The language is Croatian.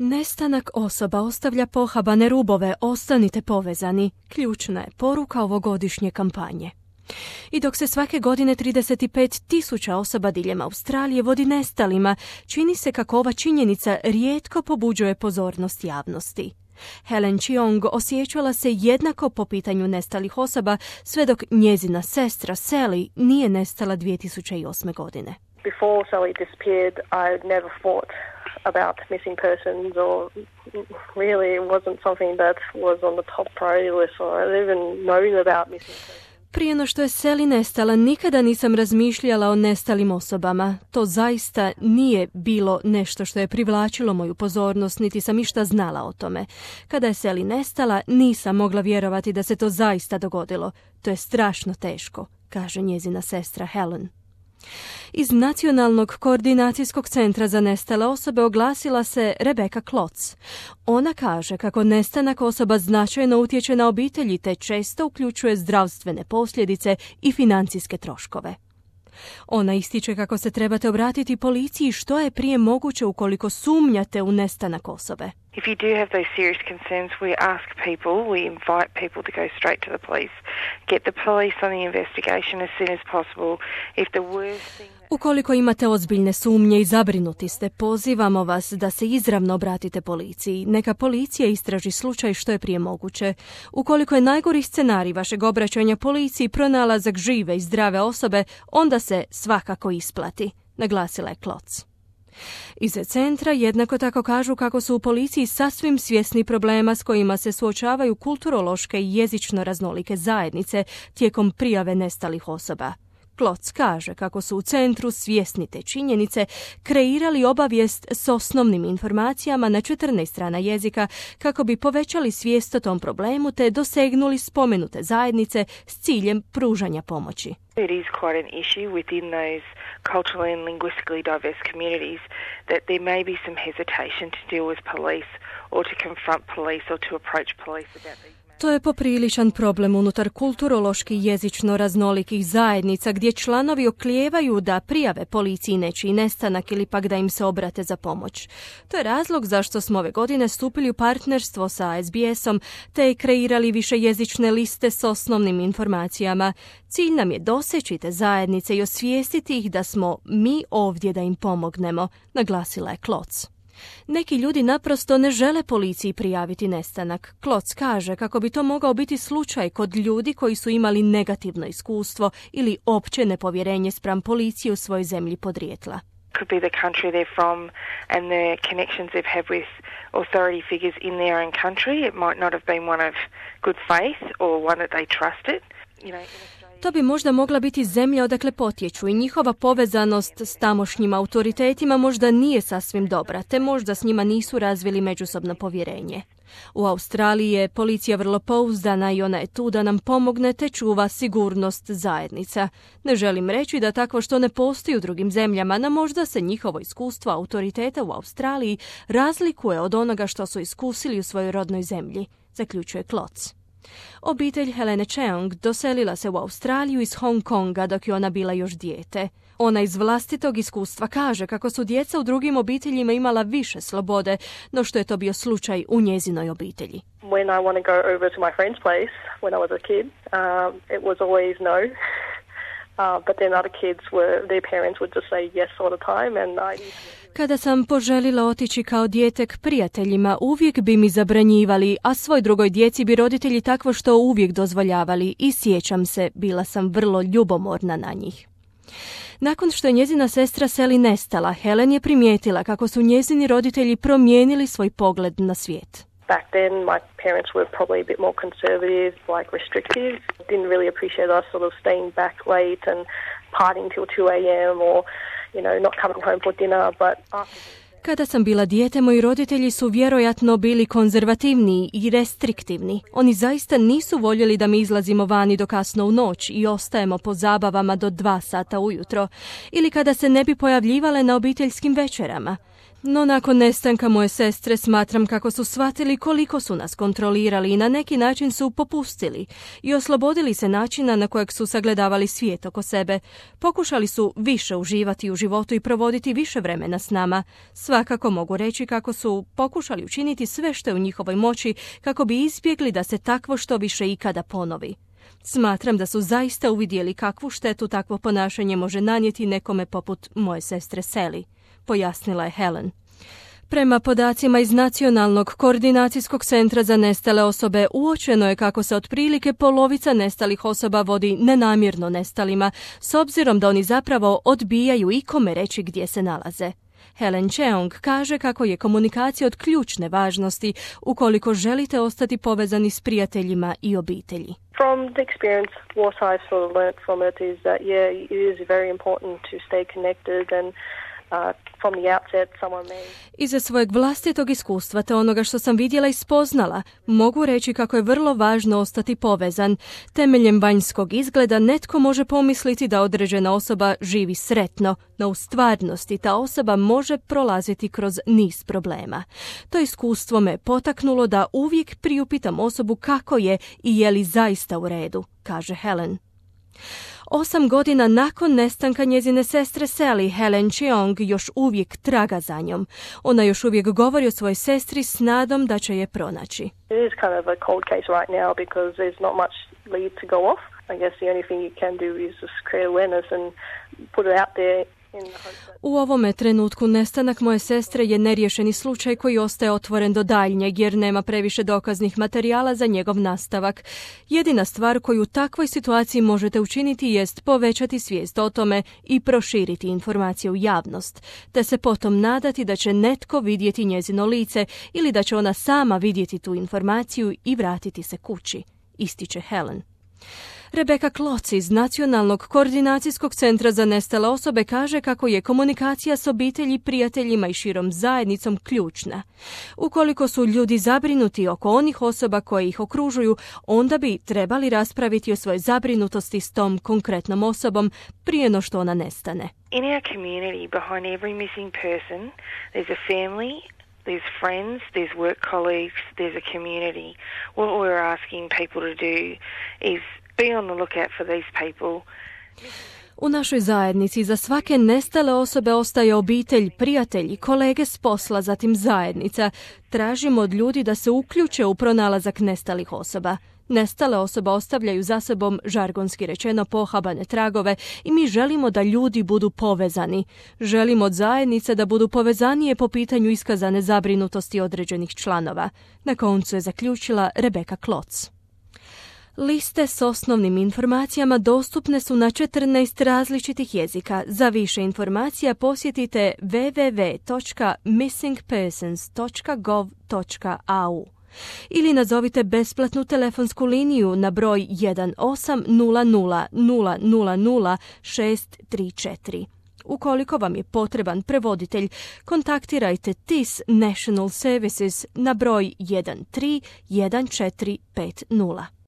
Nestanak osoba ostavlja pohabane rubove, ostanite povezani. Ključna je poruka ovogodišnje kampanje. I dok se svake godine 35.000 osoba diljem Australije vodi nestalima, čini se kako ova činjenica rijetko pobuđuje pozornost javnosti. Helen Cheong osjećala se jednako po pitanju nestalih osoba sve dok njezina sestra Sally nije nestala 2008. godine. Before Sally disappeared, I never thought about missing persons, or really it wasn't something that was on the top priority list, or I didn't even known about missing persons. Prije no što je Sally nestala, nikada nisam razmišljala o nestalim osobama. To zaista nije bilo nešto što je privlačilo moju pozornost, niti sam išta znala o tome. Kada je Sally nestala, nisam mogla vjerovati da se to zaista dogodilo. To je strašno teško, kaže njezina sestra Helen. Iz Nacionalnog koordinacijskog centra za nestale osobe oglasila se Rebecca Klotz. Ona kaže kako nestanak osoba značajno utječe na obitelji te često uključuje zdravstvene posljedice i financijske troškove. Ona ističe kako se trebate obratiti policiji što je prije moguće ukoliko sumnjate u nestanak osobe. If you do have those serious concerns, we ask people, we invite people to go straight to the police, get the police on the investigation as soon as possible. If the worst thing... Ukoliko imate ozbiljne sumnje i zabrinuti ste, pozivamo vas da se izravno obratite policiji. Neka policija istraži slučaj što je prije moguće. Ukoliko je najgori scenarij vašeg obraćanja policiji pronalazak žive i zdrave osobe, onda se svakako isplati, naglasila je Klotz. Iz centra jednako tako kažu kako su u policiji sasvim svjesni problema s kojima se suočavaju kulturološke i jezično raznolike zajednice tijekom prijave nestalih osoba. Klotz kaže kako su u centru svjesni te činjenice kreirali obavijest s osnovnim informacijama na 14 strana jezika kako bi povećali svijest o tom problemu te dosegnuli spomenute zajednice s ciljem pružanja pomoći. It is quite an issue within those culturally and linguistically diverse communities that there may be some hesitation to deal with police or to confront police or to approach police about these. To je popriličan problem unutar kulturološki jezično raznolikih zajednica gdje članovi oklijevaju da prijave policiji nečiji nestanak ili pak da im se obrate za pomoć. To je razlog zašto smo ove godine stupili u partnerstvo sa SBS-om te kreirali višejezične liste s osnovnim informacijama. Cilj nam je doseći te zajednice i osvijestiti ih da smo mi ovdje da im pomognemo, naglasila je Klotz. Neki ljudi naprosto ne žele policiji prijaviti nestanak. Klotz kaže kako bi to mogao biti slučaj kod ljudi koji su imali negativno iskustvo ili opće nepovjerenje spram policije u svojoj zemlji podrijetla. Could be the country they're from and the connections they've had with authority figures in their own country. It might not have been one of good faith or one that they trusted. To bi možda mogla biti zemlja odakle potječu i njihova povezanost s tamošnjim autoritetima možda nije sasvim dobra, te možda s njima nisu razvili međusobno povjerenje. U Australiji je policija vrlo pouzdana i ona je tu da nam pomogne te čuva sigurnost zajednica. Ne želim reći da takvo što ne postoji u drugim zemljama, no možda se njihovo iskustvo autoriteta u Australiji razlikuje od onoga što su iskusili u svojoj rodnoj zemlji, zaključuje Klotz. Obitelj Helene Cheong doselila se u Australiju iz Hong Konga dok je ona bila još dijete. Ona iz vlastitog iskustva kaže kako su djeca u drugim obiteljima imala više slobode, no što je to bio slučaj u njezinoj obitelji. When I want to go over to my friend's place when I was a kid, it was always no. But then other kids their parents would just say yes all the time and Kada sam poželila otići kao dijete k prijateljima, uvijek bi mi zabranjivali, a svoj drugoj djeci bi roditelji takvo što uvijek dozvoljavali i sjećam se, bila sam vrlo ljubomorna na njih. Nakon što je njezina sestra Sally nestala, Helen je primijetila kako su njezini roditelji promijenili svoj pogled na svijet. Back then, my parents were probably a bit more conservative, like restrictive. Didn't really appreciate us sort of staying back late and partying till 2 a.m. or, not coming home for dinner. But Kada sam bila dijete, moji roditelji su vjerojatno bili konzervativniji i restriktivni. Oni zaista nisu voljeli da mi izlazimo vani do kasno u noć i ostajemo po zabavama do 2 sata ujutro, ili kada se ne bi pojavljivale na obiteljskim večerama. No nakon nestanka moje sestre smatram kako su shvatili koliko su nas kontrolirali i na neki način su popustili i oslobodili se načina na kojeg su sagledavali svijet oko sebe. Pokušali su više uživati u životu i provoditi više vremena s nama. Svakako mogu reći kako su pokušali učiniti sve što je u njihovoj moći kako bi izbjegli da se takvo što više ikada ponovi. Smatram da su zaista uvidjeli kakvu štetu takvo ponašanje može nanijeti nekome poput moje sestre Sally, pojasnila je Helen. Prema podacima iz Nacionalnog koordinacijskog centra za nestale osobe uočeno je kako se otprilike polovica nestalih osoba vodi nenamjerno nestalima, s obzirom da oni zapravo odbijaju ikome reći gdje se nalaze. Helen Cheong kaže kako je komunikacija od ključne važnosti ukoliko želite ostati povezani s prijateljima i obitelji. From the experience, what I've sort of learnt from it is that, it is very important to stay connected and from the outset someone may... Iza svojeg vlastitog iskustva te onoga što sam vidjela i spoznala, mogu reći kako je vrlo važno ostati povezan. Temeljem vanjskog izgleda netko može pomisliti da određena osoba živi sretno, no u stvarnosti ta osoba može prolaziti kroz niz problema. To iskustvo me potaknulo da uvijek priupitam osobu kako je i je li zaista u redu, kaže Helen. 8 godina nakon nestanka njezine sestre Sally, Helen Cheong još uvijek traga za njom. Ona još uvijek govori o svojoj sestri s nadom da će je pronaći. It is kind of a cold case right now because there's not much lead to go off. I guess the only thing you can do is just create awareness and put it out there. U ovome trenutku nestanak moje sestre je neriješeni slučaj koji ostaje otvoren do daljnjeg jer nema previše dokaznih materijala za njegov nastavak. Jedina stvar koju u takvoj situaciji možete učiniti jest povećati svijest o tome i proširiti informacije u javnost, te se potom nadati da će netko vidjeti njezino lice ili da će ona sama vidjeti tu informaciju i vratiti se kući, ističe Helen. Rebecca Klotz iz Nacionalnog koordinacijskog centra za nestale osobe kaže kako je komunikacija s obitelji, prijateljima i širom zajednicom ključna. Ukoliko su ljudi zabrinuti oko onih osoba koje ih okružuju, onda bi trebali raspraviti o svojoj zabrinutosti s tom konkretnom osobom prije no što ona nestane. In our community, behind every missing person, there's a family, there's friends, there's work colleagues, there's a community. What we're asking people to do is be on the lookout for these people. U našoj zajednici za svake nestale osobe ostaje obitelj, prijatelji, kolege s posla, zatim zajednica. Tražimo od ljudi da se uključe u pronalazak nestalih osoba. Nestale osobe ostavljaju za sobom, žargonski rečeno, pohabane tragove i mi želimo da ljudi budu povezani. Želimo od zajednice da budu povezanije po pitanju iskazane zabrinutosti određenih članova. Na koncu je zaključila Rebecca Klotz. Liste s osnovnim informacijama dostupne su na 14 različitih jezika. Za više informacija posjetite www.missingpersons.gov.au ili nazovite besplatnu telefonsku liniju na broj 1800 000 634. Ukoliko vam je potreban prevoditelj, kontaktirajte TIS National Services na broj 131450.